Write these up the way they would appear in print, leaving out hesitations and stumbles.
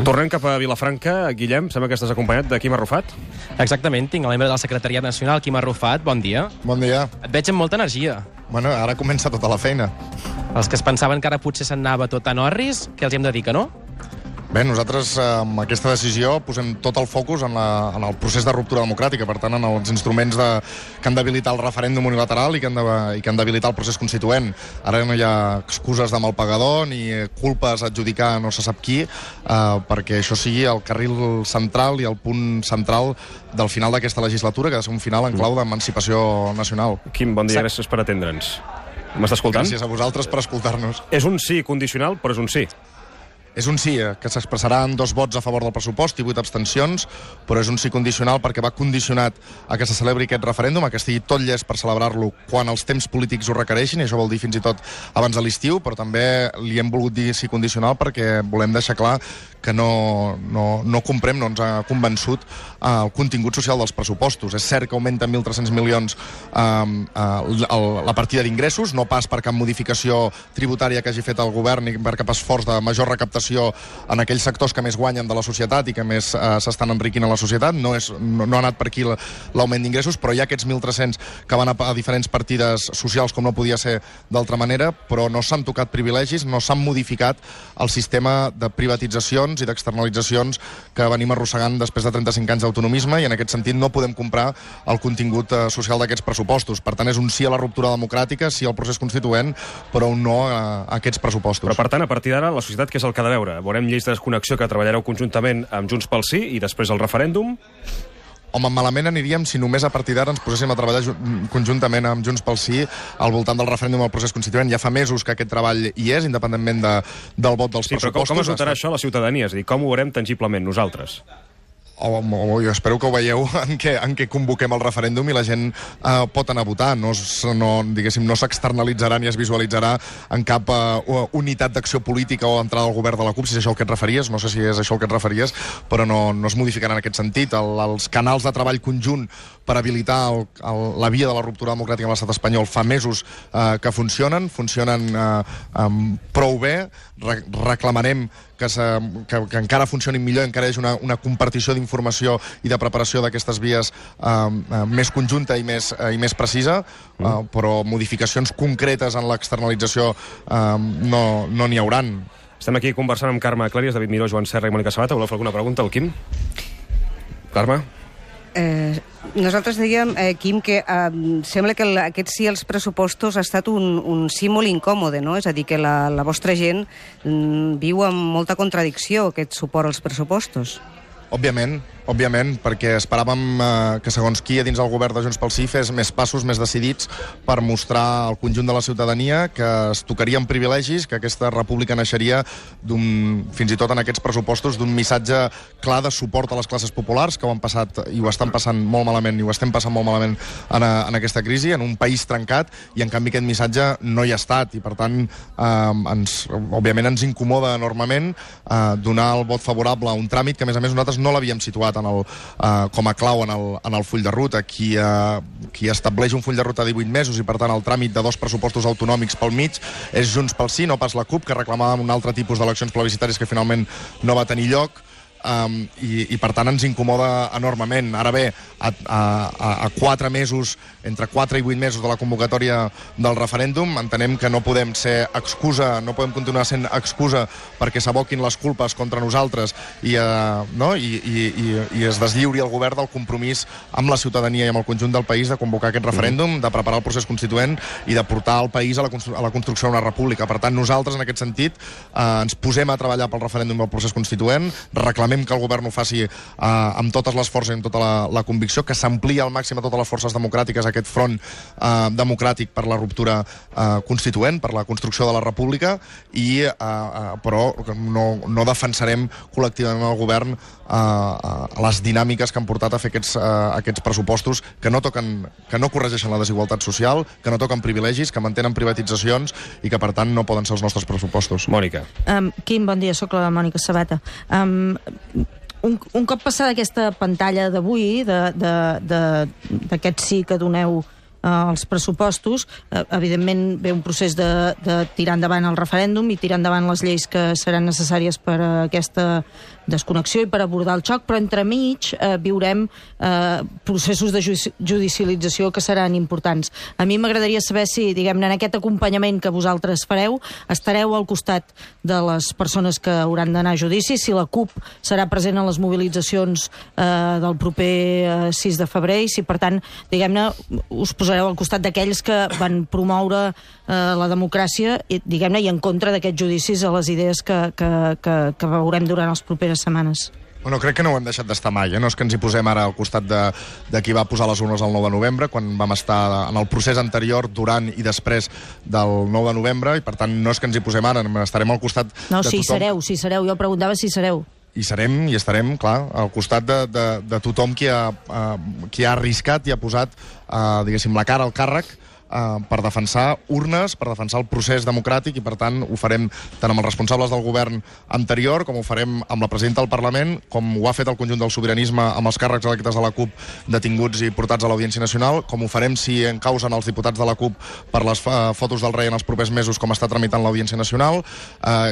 Tornem cap a Vilafranca. Guillem, sembla que estàs acompanyat de Quim Arrufat. Exactament, tinc el membre del Secretariat Nacional, Quim Arrufat. Bon dia. Bon dia. Et veig amb molta energia. Bueno, ara comença tota la feina. Els que es pensaven que ara potser se'n anava tot a Norris, què els hem de dir, que no? Bé, nosaltres amb aquesta decisió posem tot el focus en el procés de ruptura democràtica, per tant, en els instruments que han d'habilitar el referèndum unilateral i que han d'habilitar el procés constituent. Ara no hi ha excuses de mal pagador ni culpes a adjudicar no se sap qui, perquè això sigui el carril central i el punt central del final d'aquesta legislatura, que ha de ser un final en clau d'emancipació nacional. Quim, bon dia, gràcies per atendre'ns. M'estàs escoltant? Gràcies a vosaltres per escoltar-nos. És un sí condicional, però és un sí. És un sí, que s'expressarà en 2 vots a favor del pressupost i 8 abstencions, però és un sí condicional perquè va condicionat a que se celebri aquest referèndum, a que estigui tot llest per celebrar-lo quan els temps polítics ho requereixin, i això vol dir fins i tot abans de l'estiu, però també li hem volgut dir sí condicional perquè volem deixar clar que no comprem, no ens ha convençut el contingut social dels pressupostos. És cert que augmenta 1.300 milions la partida d'ingressos, no pas per cap modificació tributària que hagi fet el govern ni per cap esforç de major recaptació en aquells sectors que més guanyen de la societat i que més s'estan enriquint a la societat. No ha anat per aquí l'augment d'ingressos, però hi ha aquests 1.300 que van a diferents partides socials, com no podia ser d'altra manera, però no s'han tocat privilegis, no s'han modificat el sistema de privatitzacions i d'externalitzacions que venim arrossegant després de 35 anys d'autonomisme, i en aquest sentit no podem comprar el contingut social d'aquests pressupostos. Per tant, és un sí a la ruptura democràtica, sí al procés constituent, però un no a aquests pressupostos. Però, per tant, a partir d'ara, la societat què és el que ha de veure? Veurem lleis de desconnexió que treballareu conjuntament amb Junts pel Sí i després el referèndum? Home, malament aniríem si només a partir d'ara ens poséssim a treballar conjuntament amb Junts pel Sí al voltant del referèndum al procés constituent. Ja fa mesos que aquest treball hi és, independentment del vot dels pressupostos. Però com es notarà això a la ciutadania? És a dir, com ho veurem tangiblement nosaltres? Jo espero que ho veieu en què convoquem el referèndum i la gent pot anar a votar. No s'externalitzarà ni es visualitzarà en cap unitat d'acció política o entrada al govern de la CUP, si és això el que et referies. No sé si és això el que et referies, però no es modificarà en aquest sentit. Els canals de treball conjunt per habilitar la via de la ruptura democràtica en l'estat espanyol fa mesos que funcionen prou bé. Reclamarem que encara funcionin millor, encara hi hagi una compartició d'informació i de preparació d'aquestes vies més conjunta i més precisa, però modificacions concretes en l'externalització no n'hi hauran. Estem aquí conversant amb Carme Clàries, David Miró, Joan Serra i Mònica Sabata. Voleu fer alguna pregunta al Quim? Carme? Nosaltres dèiem, Quim, que sembla que aquest sí als pressupostos ha estat un sí molt incòmode, no? És a dir, que la vostra gent viu amb molta contradicció aquest suport als pressupostos. Òbviament, perquè esperàvem que segons qui a dins el govern de Junts pel Sí fes més passos més decidits per mostrar al conjunt de la ciutadania que es tocarien privilegis, que aquesta república naixeria fins i tot en aquests pressupostos d'un missatge clar de suport a les classes populars, que ho han passat i ho estan passant molt malament i ho estem passant molt malament en aquesta crisi, en un país trencat, i en canvi aquest missatge no hi ha estat, i per tant òbviament ens incomoda enormement donar el vot favorable a un tràmit que a més nosaltres no l'havíem situat com a clau en el full de ruta. Qui estableix un full de ruta de 18 mesos i per tant el tràmit de 2 pressupostos autonòmics pel mig és Junts pel Sí, no pas la CUP, que reclamàvem un altre tipus d'eleccions plebiscitàries que finalment no va tenir lloc. I per tant ens incomoda enormement. Ara bé, a 4 mesos, entre 4 i 8 mesos de la convocatòria del referèndum, entenem que no podem ser excusa, no podem continuar sent excusa perquè s'aboquin les culpes contra nosaltres i es deslliuri el govern del compromís amb la ciutadania i amb el conjunt del país de convocar aquest referèndum, de preparar el procés constituent i de portar el país a la construcció d'una república. Per tant, nosaltres, en aquest sentit, ens posem a treballar pel referèndum del procés constituent, reclamem que el govern ho faci amb totes les forces i amb tota la convicció, que s'amplia al màxim a totes les forces democràtiques aquest front democràtic per la ruptura constituent, per la construcció de la república, però no defensarem col·lectivament el govern les dinàmiques que han portat a fer aquests pressupostos que no corregeixen la desigualtat social, que no toquen privilegis, que mantenen privatitzacions i que per tant no poden ser els nostres pressupostos. Mònica. Quim, bon dia, soc la Mònica Sabata. Un cop passada aquesta pantalla d'avui, d'aquest sí que doneu als pressupostos, evidentment ve un procés de tirar endavant el referèndum i tirar endavant les lleis que seran necessàries per a aquesta desconnexió i per abordar el xoc, però entremig viurem processos de judicialització que seran importants. A mi m'agradaria saber si, diguem-ne, en aquest acompanyament que vosaltres fareu, estareu al costat de les persones que hauran d'anar a judici, si la CUP serà present en les mobilitzacions del proper 6 de febrer i si, per tant, diguem-ne, us posareu al costat d'aquells que van promoure la democràcia diguem-ne, i en contra d'aquests judicis a les idees que veurem durant les properes setmanes. Bueno, crec que no ho hem deixat d'estar mai, no és que ens hi posem ara al costat de qui va posar les urnes el 9 de novembre, quan vam estar en el procés anterior, durant i després del 9 de novembre, i per tant no és que ens hi posem ara, estarem al costat de tothom. Si sereu, jo preguntava si sereu. I serem i estarem, clar, al costat de tothom qui ha arriscat i ha posat, diguéssim, la cara al càrrec per defensar urnes, per defensar el procés democràtic, i per tant ho farem tant amb els responsables del govern anterior com ho farem amb la presidenta del Parlament, com ho ha fet el conjunt del sobiranisme amb els càrrecs electes de la CUP detinguts i portats a l'Audiència Nacional, com ho farem si encausen els diputats de la CUP per les fotos del rei en els propers mesos, com està tramitant l'Audiència Nacional,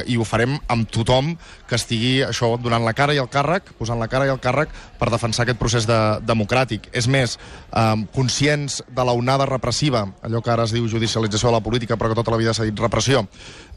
i ho farem amb tothom que estigui això donant la cara i el càrrec, posant la cara i el càrrec per defensar aquest procés democràtic. És més, conscients de l'onada repressiva, allò que ara es diu judicialització de la política, però que tota la vida s'ha dit repressió,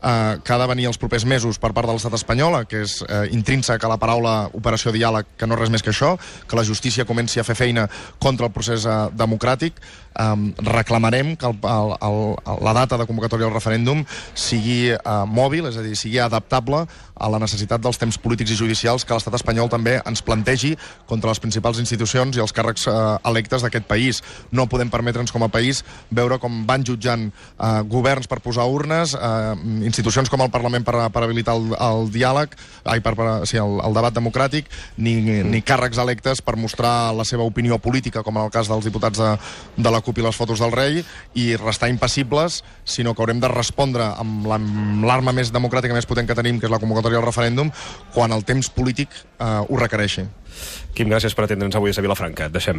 que ha de venir els propers mesos per part de l'estat espanyol, que és intrínsec a la paraula operació diàleg, que no és res més que això, que la justícia comenci a fer feina contra el procés democràtic. Reclamarem que la data de convocatòria del referèndum sigui mòbil, és a dir, sigui adaptable a la necessitat dels temps polítics i judicials que l'estat espanyol també ens plantegi contra les principals institucions i els càrrecs electes d'aquest país. No podem permetre'ns com a país veure com van jutjant governs per posar urnes, institucions com el Parlament per habilitar el diàleg, el debat democràtic, ni càrrecs electes per mostrar la seva opinió política, com en el cas dels diputats de la CUP i les fotos del rei, i restar impassibles, sinó que haurem de respondre amb l'arma més democràtica, més potent que tenim, que és la convocatòria del referèndum, quan el temps polític ho requereixi. Quim, gràcies per atendre'ns avui a Vilafranca. Et deixem.